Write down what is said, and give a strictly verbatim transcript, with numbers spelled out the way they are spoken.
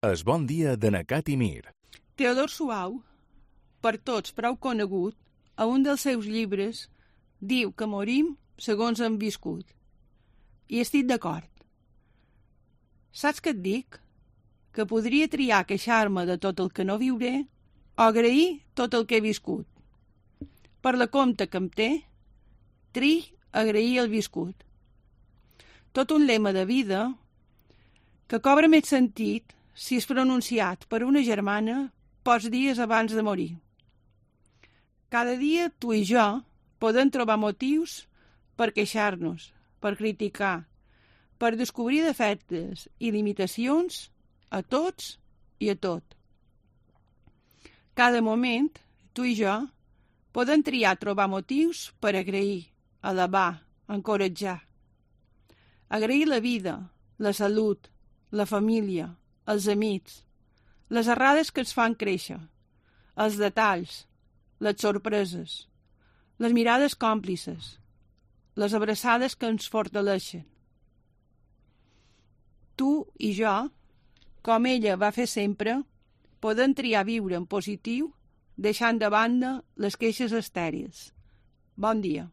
Es bon dia de Nacat i Mir. Teodor Suau, per tots prou conegut, a un dels seus llibres diu que morim segons hem viscut. I estic d'acord. Saps què et dic? Que podria triar queixar-me de tot el que no viuré o agrair tot el que he viscut. Per la compte que em té, tri agrair el viscut. Tot un lema de vida que cobra més sentit si és pronunciat per una germana pocs dies abans de morir. Cada dia tu i jo podem trobar motius per queixar-nos, per criticar, per descobrir defectes i limitacions a tots i a tot. Cada moment, tu i jo, podem triar trobar motius per agrair, alabar, encoratjar. Agrair la vida, la salut, la família, els amics, les errades que ens fan créixer, els detalls, les sorpreses, les mirades còmplices, les abraçades que ens fortaleixen. Tu i jo, com ella va fer sempre, podem triar viure en positiu deixant de banda les queixes estèrils. Bon dia.